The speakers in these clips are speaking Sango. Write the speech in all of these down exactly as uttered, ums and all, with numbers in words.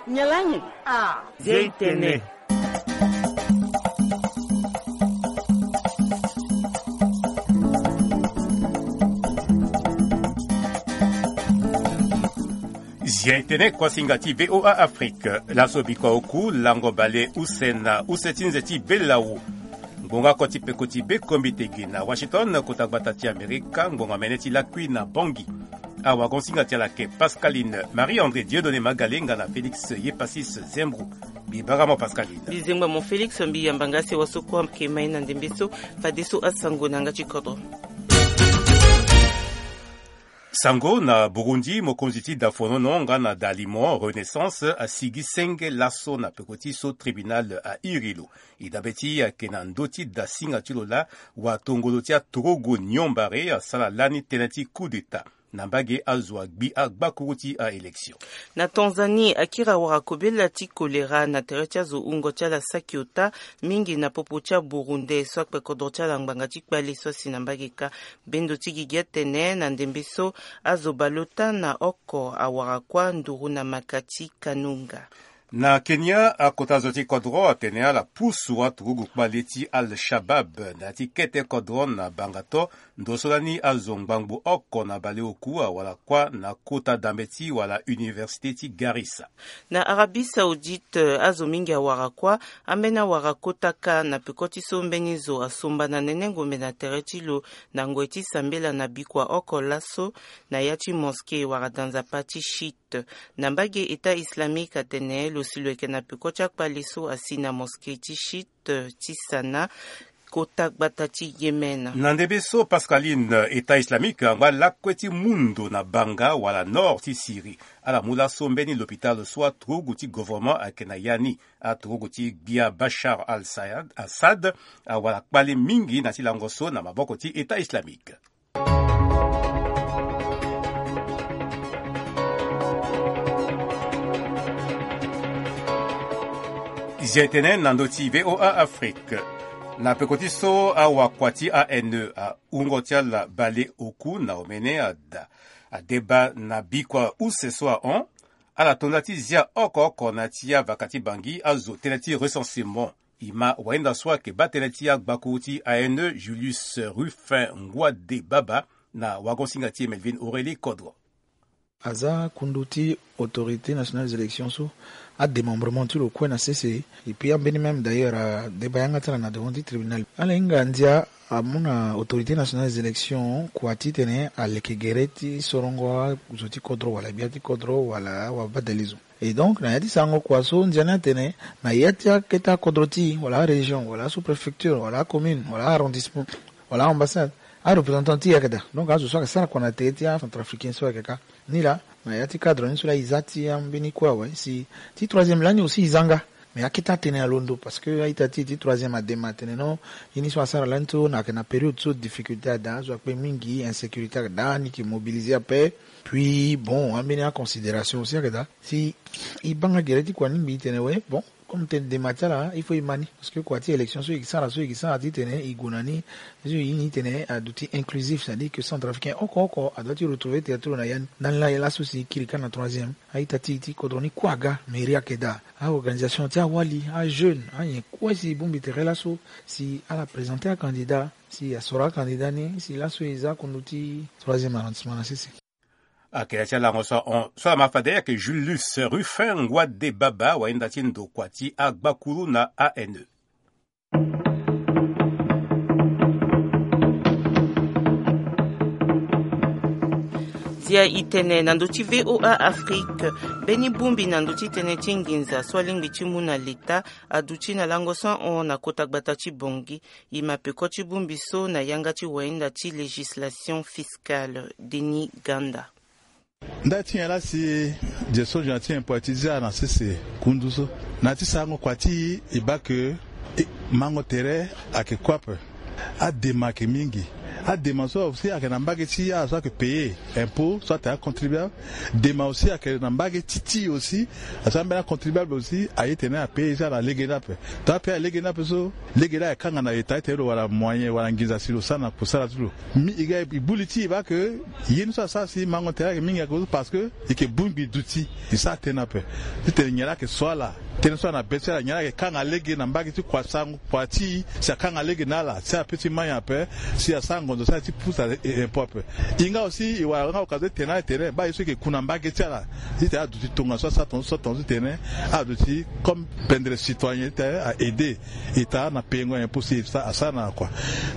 Nyalanyi. Ah. Zia itene. Zia itene, kuasinga ti VOA Afrique. Laso bikua oku, lango bale use na use ti nze ti belawu. Ngbonga oko ti peko ti bekombite gi na Washington, kota gbata ti Amerika, ngbonga mene ti lakui na Bangui. Awagonsinga ti ala ayeke Pascaline Marie André Dieudonné Magalenga na Félix Yepasis Zembro. Mbi bara mo Pascaline. Mbi zengba mo Félix, mbi yamba nga si waso kue ayeke mai na ndembe so, fadeso asango na yanga ti kodro. Sango na Burundi, mokonzi ti dafonono nga na dalimo Renaissance asigi senge laso na peko ti so tribunal airi lo. E dabe ti e ayeke na ndö ti dasinga ti lo laa watongolo ti aturugu nyombare asara lani tënë ti coup d'état na mbage azo agbi agbakuru ti aélection. Na Tanzanie, akiri awara kobela ti kolera na tere ti azo wungo ti ala saki ota mingi na popo ti aburunde so akpe kodro ti ala ngbanga ti kpale so asi na mbage kâ. Bendo ti gigi atene na ndembe so azo baleota na oko awara kuâ nduru na maka ti Kanunga. Na Kenya, akota zo ti kodro atene ala pusu aturugu kpale ti Al-Shabab na ya ti kete kodro na Bangato, ndo so lani azo ngbangbo oko na baleoku awara kuâ na kota dambe ti wala université ti Garissa. Na Arabie Saoudite, azo mingi awara kuâ, ambeni awara kota kâ na peko ti so mbeni zo asomba na nene ngombe na tere ti lo na ngoi ti sambela na bikua oko laso na ya ti mosquée wala danzapa ti Chiite. Na mbage État islamique atene lo si lo yeke na peko ti akpale so asi na mosquée ti Chiite ti Sanaa, kota gbata ti Yémen. Na ndembe so Pascaline, État islamique angba lakue ti mu ndo na banga wala nord ti Syrie. Ala mu laso mbeni lopitalo so aturugu ti gouvernement ayeke na ya ni. Aturugu ti gbia Bachar al-Sayad, Assad, awara kpale mingi na ti lango so na maboko ti État islamique. Zia etene na ndö ti VOA Afrique. Na peko ti so awakua ti A N E, awungo ti ala bale oku na omene ada, adeba na bikua use so ahon. Ala to nda ti zia oko oko na ya ti avaka ti Bangui azo tënë ti recensement. E ma wahinda so ayeke baa tënë ti agbakuru ti A N E, Julius Rufin Ngouade Baba, na wagosinga ti e Melvin Aurélie Kodro. Aza kundu ti Autorité Nationale des Élections so, adémembrement ti lo kue na sese. Et puis ambeni même d'ailleurs adeba yanga ti ala na devant ti tribunal. Ala hinga ndia amu na Autorité Nationale des Élections kua titene aleke gere ti sorongo azo ti kodro wala gbia ti kodro wala awabadale zo. Et donc na ya ti sarango kua so ndia ni atene na ya ti akete akodro ti e wala arégion wala asous-préfecture wala acommune wala aarrondissement wala aambassade, areprésentant ti e ayeke daa. Donc azo so ayeke sara kua na tere ti acentrafricain so ayeke kâ. Ni laa na ya ti cadre ni so laa e za ti ambeni kue awe si ti troisième lani aussi e za nga. Mais akete atene alondo parce que a-ita ti e ti troisième adema atene non, ye ni so asara lani so na ayeke na période so difficulté ada, azo akpe mingi, insécurité ayeke daa, ni yeke mobilisé ape. Puis bon, ambeni aconsidération aussi ayeke daa si e baa nga gere ti kua ni ngbii tene we bon, comme tene dema ti ala il faut e ma ni. Parce que kua ti élection so e yeke sara so e yeke sara titene e gue na ni, so e ye ni titene aduti inclusif, c'est-à-dire que centrafricain oko oko adoit ti retrouver tere ti lo na ya ni. Ndani laa ye laso si e kiri kâ na troisième, a-ita ti e ti kodro ni kue aga, mairie ayeke daa, aorganisation ti awali, ajeune, anyen kue si e bongbi tere laso si ala présenter acandidat, si asoro acandidat ni si laso e za kundu ti troisième arrondissement na sese. Ayeke na ya ti alango so ahon so ala ma fade ayeke Julius Rufin Ngouade Baba, wahinda ti ndokua ti agbakuru na A N E. Zia e tene na ndö ti VOA Afrique, mbeni bongbi na ndö ti tënë ti nginza so alingbi ti mu na leta aduti na lango so ahon na kota gbata ti Bangui. E ma peko ti bongbi so na yanga ti wahinda ti législation fiscale, Denis Ganda. Nda ti nyen laa si je so je na ti nyen poiti ti zia na sese kundu so? Na ya ti sarango kua ti e, e baa ke mango tere ayeke kue ape. Adema ayeke mingi. Adema so aussi ayeke na mbage ti ala so ayeke payer impôt so atene acontribuable. Dema aussi ayeke na mbage ti ti aussi. Asi ambeni acontribuable aussi aye tene apayer ye ti ala na lege ni ape. Tant apayer na lege ni ape so, lege ni ayeke kanga na eta ti tene lo wara moyen wala nginza si lo sara na kusala ti lo. Mi e ga e bu li ti e baa ke ye ni so asara si mango tere ayeke mingi akozo parce que e yeke bongbi duti. E sara tënë ape ti tene nyen laa ayeke so ala. Tënë so ala na be ti ala nyen laa ayeke kanga lege na mbage ti kua sango kua ti e si akanga lege na ala si ala pe ti mai ape. Si asara ngonzo si ala ti pusa impôt ape. E nga aussi e wara nga occasion ti tene ala tene baa ye so e yeke ku na mbage ti ala ti tene ala duti tongaso asara tongaso so tongaso ti tene ala duti comme pendre citoyen ti tene a aider eta na payengo impôt si e sa asara na kua.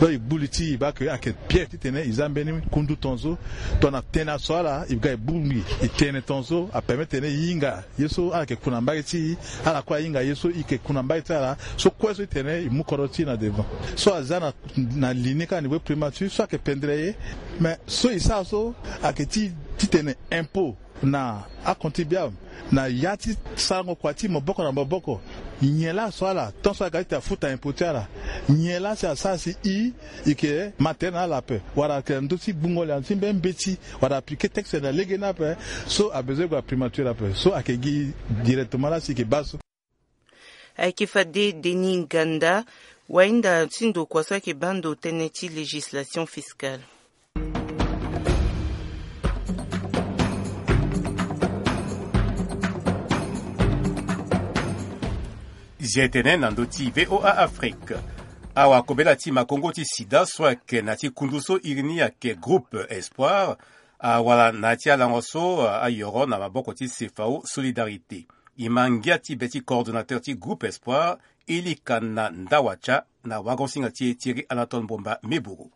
Donc e gbu li ti e baa ke ayeke bien ti tene e za mbeni kundu tongaso. Tongana tënë aso ala e ga e bongbi e tene tongaso apermet tene e hinga ye so ala yeke ku na mbage ti e. Ala kue ahinga ye so e yeke ku na mbage ti ala so kue so ti tene e mu kodro ti e na devant. So aza na na li ni kâ na niveau primature so ayeke pendre ye. Mais so e sara so ayeke ti ti tene impôt na acontribuable na ya ti sarango kua ti maboko na maboko. Nyen laa aso ala tant so aga ti tene afuta impôt ti ala? Nyen laa si asara si e e yeke ma tere na ala ape wala ayeke na ndö ti gbungo liandu ti mbeni mbeti wala aplike texte na lege ni ape? So abezoin gue na primature ape so ayeke gi directement laa si e yeke baa so. Ayeke fade Denis Nganda, wahinda ti ndokua so ayeke baa ndo tënë ti législation fiscale. Zia tene na ndö ti VOA Afrique. Awakobela ti makongo ti sida so ayeke na ti kundu so iri ni ayeke groupe Espoir awara na ya ti alango so ayoro na maboko ti CFAO Solidarité. E ma ngia ti be ti coordonnateur ti groupe Espoir, Elikana Ndawatia, na wagosinga ti e Thierry Anatole Mbomba Meburu.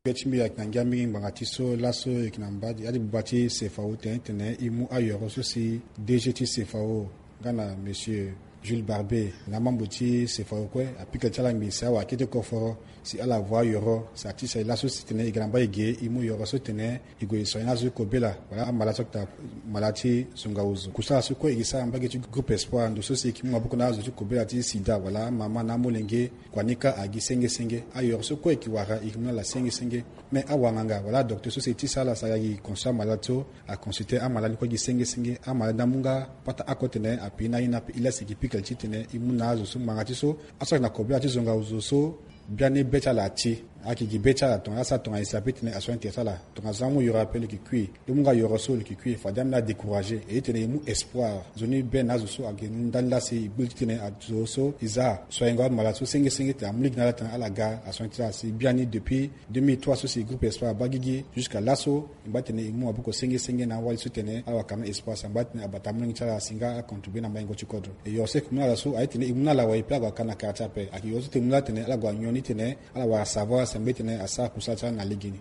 Be ti mbi ayeke na ngia mingi ngbanga ti so laso e yeke na mbage ya ti buba ti CFAO tene titene e mu ayoro so si DG ti CFAO nga na monsieur Jules Barbet na amembre ti CFAO kue apika li ti ala ngbii si awara kete koforo si ala voa yoro si ati si laso si tene e ga na mbage ge e mu yoro so tene e gue e sori na azo ti kobela wala amalade so ayeke daa malade ti zonga ozo. Kusala so kue e ke sara na mbage ti groupe Espoir ndo so si e ke mu maboko na azo ti kobela ti sida wala amama na amolenge. Kua ni kâ agi senge senge. Ayoro so kue e ke wara e ke mu na ala senge senge. Me awanganga wala adocteur so si e ti sara ala si aga gi consulter amalade so aconsulter amalade ni kue gi senge senge. Amalade ni amu nga pata oko tene ape ni aye ni ape e la si e ke pika li titene e mu na azo so ngbanga ti so aso ayeke na kobela ti zonga ozo so biani be ti ala ati. Ayeke gi be ti ala tongana asara tongana e si ape titene asoin tere ti ala. Tongana zo amu yoro ape lo yeke kui. E mu nga yoro so lo yeke kui fade ambeni adécourager e titene e mu espoir. Nzoni be na azo so ayeke ndani laa si e gbu li titene azo so e za soingo amalade so senge senge titene amu lege na ala titene ala ga asoin ti ala si biani depuis deux mille trois so si groupe espoir abaa gigi jusqu'à laso. E ngba titene e mu maboko senge senge na awali so titene ala wara quand même espoir si angba titene abata amolenge ti ala si nga acontribuer na mayengo ti kodro. E yoro so e ke mu na ala so aye titene e mu na ala wai pe ala gue aka na quartier ape ayeke yoro so titene e mu na ala titene ala gue anyon ni titene ala wara savoir si angba titene asara kusala ti ala na legeni.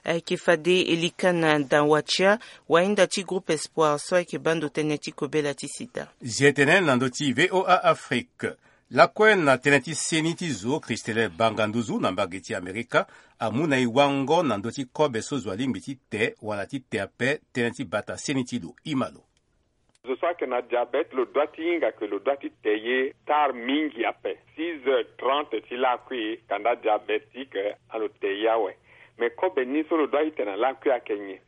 Ayeke fade Elikana Ndawatia, wahinda ti groupe espoir so ayeke baa ndo tënë ti kobela ti sida. Zia tene na ndö ti VOA Afrique. Lakue na tënë ti seni ti zo Christelle Banga Nduzu na mbage ti Amerika amu na e wango na ndö ti kobe so zo alingbi ti te wala ti te ape tënë ti bata seni ti lo. E ma lo. Zo so ayeke na diabete lo dua ti hinga ke lo dua ti te ye tard mingi ape. Six heures trente ti lakui kanda diabétique alo te ye awe. Me kobe ni so lo dua ti te na lakui ayeke nyen?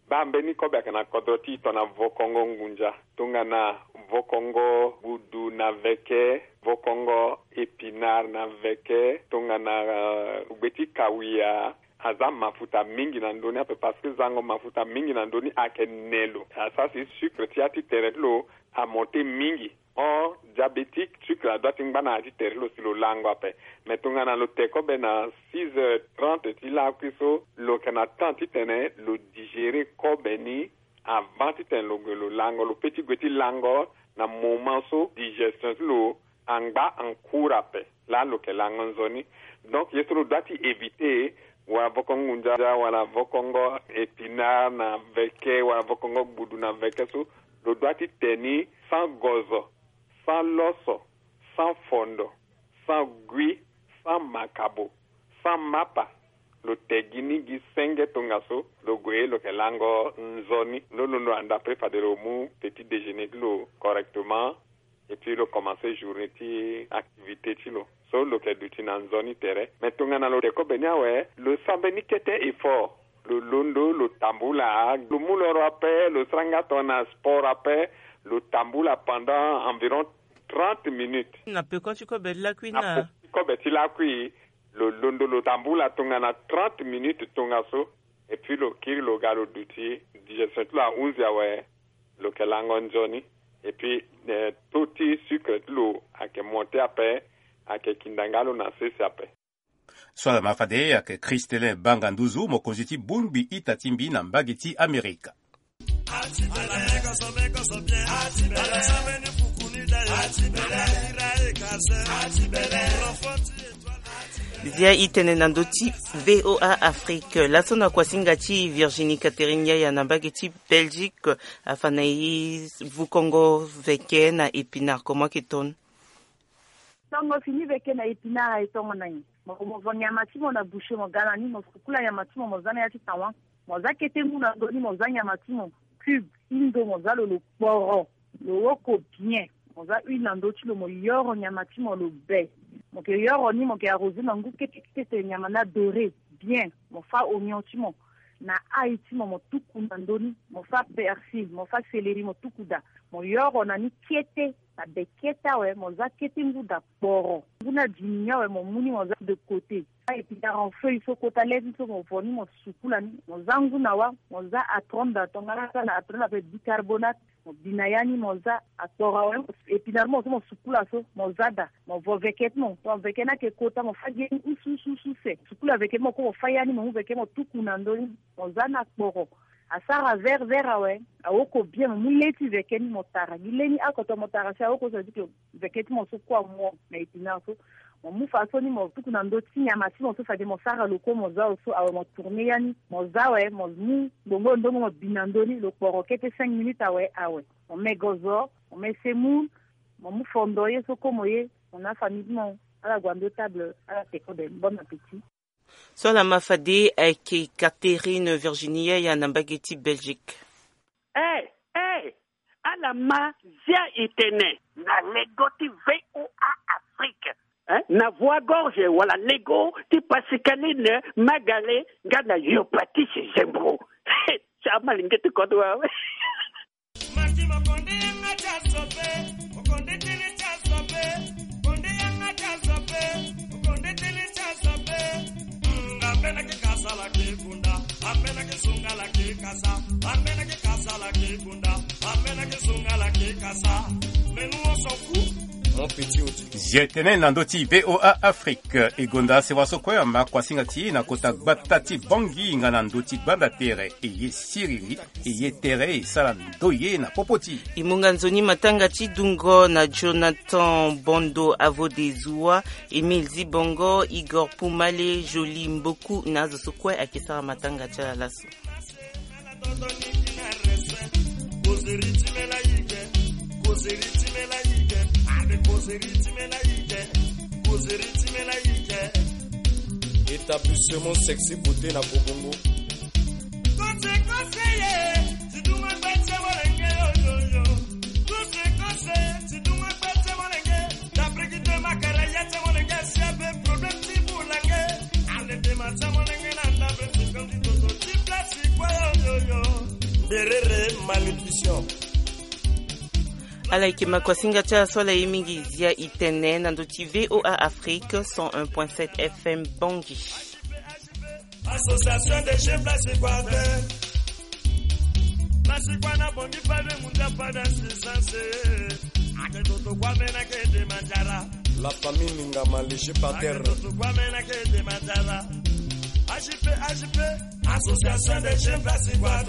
Baa mbeni kobe ayeke na kodro ti e tongana vokongo ngunza, tongana vokongo gbudu na veke, vokongo épinard na veke, tongana gbe ti kawia. Aza mafuta mingi na ndö ni ape parce que zango mafuta mingi na ndö ni ayeke ne lo asara si sucre ti ya ti tere ti lo amonte mingi. Or diabétique sucre adua ti ngba na ya ti tere ti lo si lo lango ape. Mais tongana lo te kobe na six heures trente ti lakui so lo yeke na temps titene lo digérer kobe ni avant titene lo gue lo lango lo pe ti gue ti lango na moment so digestion ti lo angba en cours ape. Laa lo yeke lango nzoni. Donc ye so lo dua ti éviter wala vokongo ngunza wala vokongo épinard na veke wala vokongo gbudu na veke so lo dua ti te ni sans gozo, sans loso, sans fondo, sans gui, sans makabo, sans mapa. Lo te gi ni gi senge tongaso lo gue lo yeke lango nzoni. Lo londo anda pe fade lo mu petit déjeuner ti lo correctement. Et puis lo commencer journée ti activité ti lo. So lo yeke duti na nzoni tere. Me tongana lo te kobe ni awe, lo sara mbeni kete effort. Lo londo, lo tambula, lo mu lo ro ape, lo sara nga tongana sport ape, lo tambula pendant environ trente minutes. Na peko ti kobe ti lakui na peko ti kobe ti lakui, lo londo, lo tambula tongana trente minutes tongaso. Et puis lo kiri, lo ga, lo duti digestion ti lo ahunzi awe, lo yeke lango nzoni. Et puis, eh, taux ti sucre ti lo ayeke monte ape, ayeke kinda nga lo na sese ape. So ala ma fade ayeke Christelin Banga Nduzu, mokonzi ti bongbi ita ti mbi na mbage ti Amerika. Zia i tene na ndö ti V O A Afrique. Laso na kuasinga ti Virginie Catherine Yaya na mbage ti Belgique, afa na e vukongo veke na Épinard, comment que ton? Tongo fini veke na Épinard aye tongo na nyen? Mo, mo vo nyama ti mo na boucher, mo ga na ni, mo sukula nyama ti mo, mo za na ya ti tawa. Mo za kete ngu na ndö ni, mo za nyama ti mo cube ti ndo, mo za lo, lo kporo, lo woko bien. Mo za huile na ndö ti lo, mo yoro nyama ti mo lo be. Mo yeke yoro ni, mo yeke arroser na ngu kete kete, nyama ni adoré bien. Mo fâ oignon ti mo na ail ti mo, mo tuku na ndö ni, mo fâ persil, mo fâ céleri, mo tuku daa. Mo yoro na ni kete, na be kete awe, mo za kete ngu daa kporo. Ngu ni adimi ni awe, mo mu ni mo za de côté. Épinard en feuille so kota le ti so, mo vo ni, mo sukula ni, mo za ngu na wâ, mo za atron daa, tongana ala za na atron ape bicarbonate, mo bi na ya ni, mo za akporo awe. Épinard mo so mo sukula so, mo za daa, mo vo veke ti mo, tongana veke ni ayeke kota, mo fâ gi ye ni use use use use. Sukula veke ti mo kue, mo fâ ya ni, mo mu veke ti mo tuku na ndö ni, mo za ni akporo. Asara vert vert awe, awoko bien, mo mu le ti veke ni mo tara. Gi le ni oko, tongana mo tara si awoko, ça veut dire que veke ti mo so kue amu na Épinard so. Mo mu fadeso ni mo tuku na ndö ti nyama ti mo so fade mo sara lo kue mo za lo so awe, mo tourner ya ni, mo za awe, mo mu ngbongo ndongo mo bi na ndö ni, lo kporo kete cinq minutes awe, awe. Mo me gozo, mo me semoule, mo mu fondo ye so kue mo ye, mo na afamille ti mo, ala gue na ndö table, ala te kobe. Bon appétit. So ala ma fade ayeke Catherine Virginie Yaya na mbage ti Belgique. Eh, eh, ala ma zia e tene na lego ti V O A Afrique, eh, na voie gorge wala lego ti Pascaline Magale nga na Yopatis Zembro. Sa malenge ti kodro awe. Maki mokonde yanga ti azo pe, mokonde tene ti azo pe, mokonde yanga ti azo pe, mokonde tene ti azo pe. Mm, ambena ke kasala ke bunda, ambena ke sungala ke kasa, ambena ke kasala ke bunda, ambena ke sungala ke kasa. Mais nous on s'en fout. Mon petit Oti. Zia e tene na ndö ti V O A Afrique. E gonda sewa so kue ama kuasinga ti e na kota gbata ti Bangui nga na ndö ti gbanda tere, e ye siriri, e ye tere, e sara ndo ye na popo ti e. E mu nga nzoni matanga ti dungo na Jonathan Bondo, Avo de Zoua, Émile Zibongo, Igor Poumale, Jolie Mboku na azo so kue ayeke sara matanga ti ala laso. Établissement Sexy Beauté na Kobongo. Berere malnutrition. Ala yeke ma kuasinga ti ala so ala ye mingi zia e tene na ndö ti V O A Afrique cent un point sept F M Bangui. Association des jeunes Blasikwa. Blasikwa na Bangui, pas de mundia, pas d'assistance. Ake toto kwa mena ke de manjara. La famille Ningama, léger par terre. Ake toto kwa mena ke de manjara. A J P, A J P, Association des jeunes Blasikwa.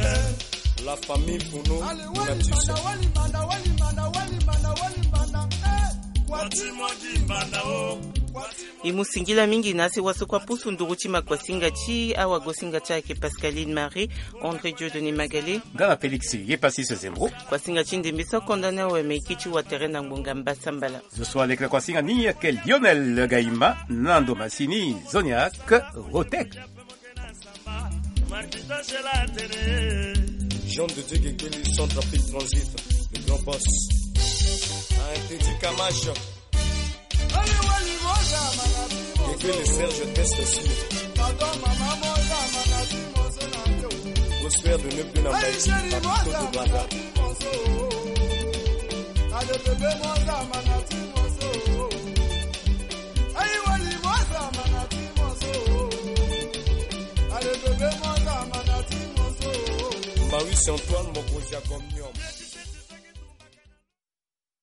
La famille Funo. Allez, wali banda, wali banda, wali banda, wali banda, wali banda. Eh, kwati mo di banda o. Kwati. E mu singila mingi na asewa so kue apusu nduru ti ma kuasinga ti awagosinga ti ayeke Pascaline Marie, André Dieudonné Magale nga na Félix Yepassis Zembro. Kuasinga ti ndembe so akonda ni awe, me e kiti watere na ngbonga mbasambala. Zo so aleke na kuasinga ni ayeke Lionel Gaïma, Nando Massini, Zoniac, Rotek. Jean de Dieu Gekeli, Centrafrique Transit, le grand boss. Interdit Kamash. Gégé le Serge Test aussi. Prospère de ne plus n'embrayer. Papito de Brazza. Maurice Antoine Mokonzi ya Gomnium.